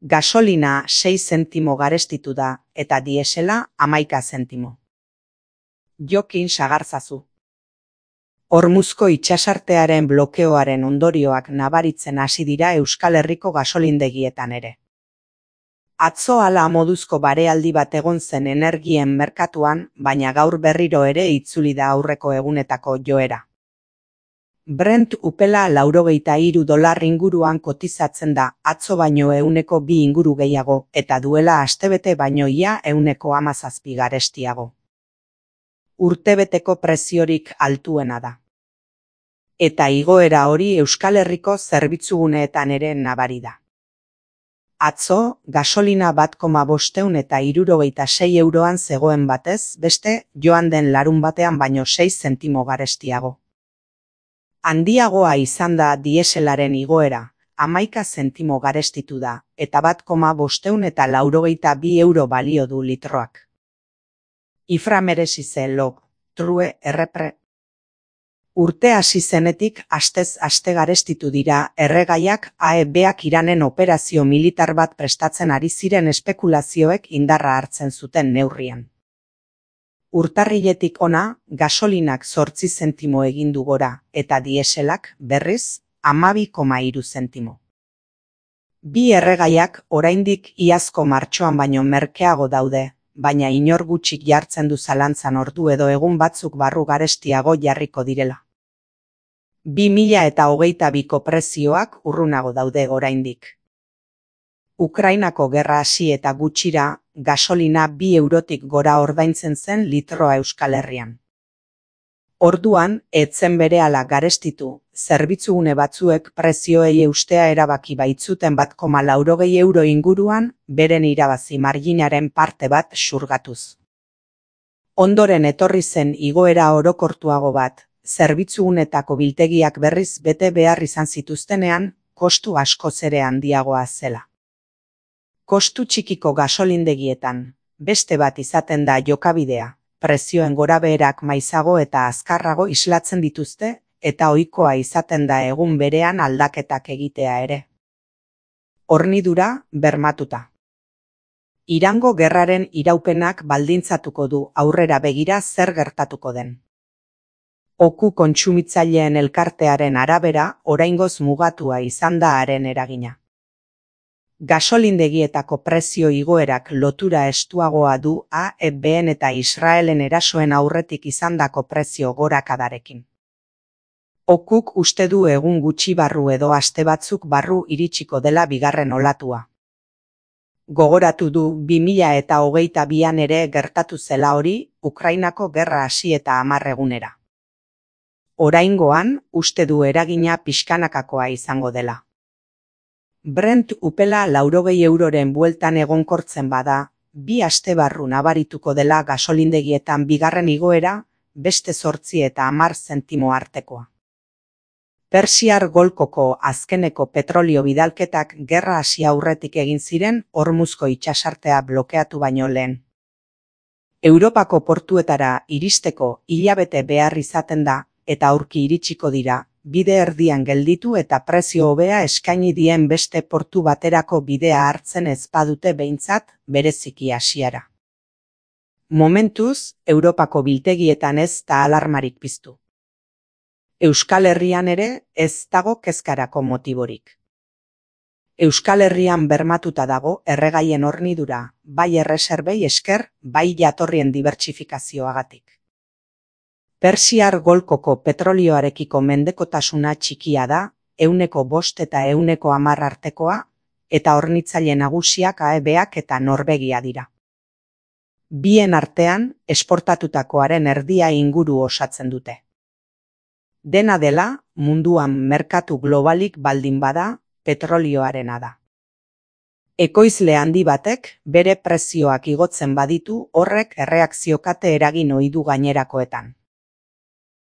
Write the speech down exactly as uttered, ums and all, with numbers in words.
Gasolina sei zentimo garestitu da eta diesela hamaika zentimo. Jokin sagarzazu. Hormuzko itsasartearen blokeoaren ondorioak nabaritzen hasi dira Euskal Herriko gasolindegietan ere. Atzo hala moduzko barealdi bat egon zen energien merkatuan, baina gaur berriro ere itzuli da aurreko egunetako joera. Brent upela laurogeita hiru dolar inguruan kotizatzen da, atzo baino ehuneko bi inguru gehiago, eta duela astebete baino ia ehuneko hamazazpi garestiago. Urtebeteko preziorik altuena da. Eta igoera hori Euskal Herriko zerbitzuguneetan ere nabari da. Atzo, gasolina bat koma bostehun eta hirurogeita sei euroan zegoen batez, beste, joan den larun batean baino sei zentimo garestiago. Handiagoa izan da dieselaren igoera, hamaika zentimo garestitu da, eta bat koma bostehun eta laurogeita bi euro balio du litroak. Ifra merezi ze log, true errepre. Urte hasi zenetik astez aste garestitu dira erregaiak A E Bak Iranen operazio militar bat prestatzen ari ziren espekulazioek indarra hartzen zuten neurrian. Urtarriletik ona, gasolinak zortzi zentimo egin du gora, eta dieselak, berriz, hamabi koma hiru zentimo. Bi erregaiak oraindik iazko martxoan baino merkeago daude, baina inor gutxik jartzen du zalantzan ordu edo egun batzuk barru garestiago jarriko direla. Bi mila eta hogeita biko prezioak urrunago daude oraindik. Ukrainako gerra hasi eta gutxira, gasolina bi eurotik gora ordaintzen zen litroa Euskal Herrian. Orduan, etzen berehala garestitu, zerbitzugune batzuek prezioei eustea erabaki baitzuten bat koma laurogei euro inguruan, beren irabazi marginaren parte bat xurgatuz. Ondoren etorri zen igoera orokortuago bat, zerbitzugunetako biltegiak berriz bete behar izan zituztenean, kostu askoz ere handiagoa zela. Kostu txikiko gasolindegietan, beste bat izaten da jokabidea, prezioen gorabeherak maizago eta azkarrago islatzen dituzte, eta ohikoa izaten da egun berean aldaketak egitea ere. Hornidura bermatuta. Irango gerraren iraupenak baldintzatuko du aurrera begira zer gertatuko den. Oku kontsumitzaileen elkartearen arabera, oraingoz mugatua izan da haren eragina. Gasolindegietako prezio igoerak lotura estuagoa du A E Ben eta Israelen erasoen aurretik izandako prezio gorakadarekin. Okuk uste du egun gutxi barru edo aste batzuk barru iritsiko dela bigarren olatua. Gogoratu du bi mila eta hogeita bian ere gertatu zela hori, Ukrainako gerra hasi eta hamar egunera. Oraingoan, uste du eragina pixkanakakoa izango dela. Brent upela laurogei euroren bueltan egonkortzen bada, bi aste barru nabarituko dela gasolindegietan bigarren igoera, beste zortzi eta hamar zentimo artekoa. Persiar golkoko azkeneko petrolio bidalketak gerra hasi aurretik egin ziren Hormuzko itsasartea blokeatu baino lehen. Europako portuetara iristeko hilabete behar izaten da, eta aurki iritsiko dira, bide erdian gelditu eta prezio hobea eskaini dien beste portu baterako bidea hartzen ez badute behintzat bereziki hasiera. Momentuz, Europako biltegietan ez da alarmarik piztu. Euskal Herrian ere ez dago kezkarako motiborik. Euskal Herrian bermatuta dago erregaien hornidura, bai erreserbei esker, bai jatorrien dibertsifikazioagatik. Persiar golkoko petrolioarekiko mendekotasuna txikia da, ehuneko bost eta ehuneko hamar artekoa, eta hornitzaile nagusiak A E Bak eta Norvegia dira. Bien artean, esportatutakoaren erdia inguru osatzen dute. Dena dela, munduan merkatu globalik baldin bada, petrolioarena da. Ekoizle handi batek, bere prezioak igotzen baditu, horrek erreakzio kate eragin ohi du gainerakoetan.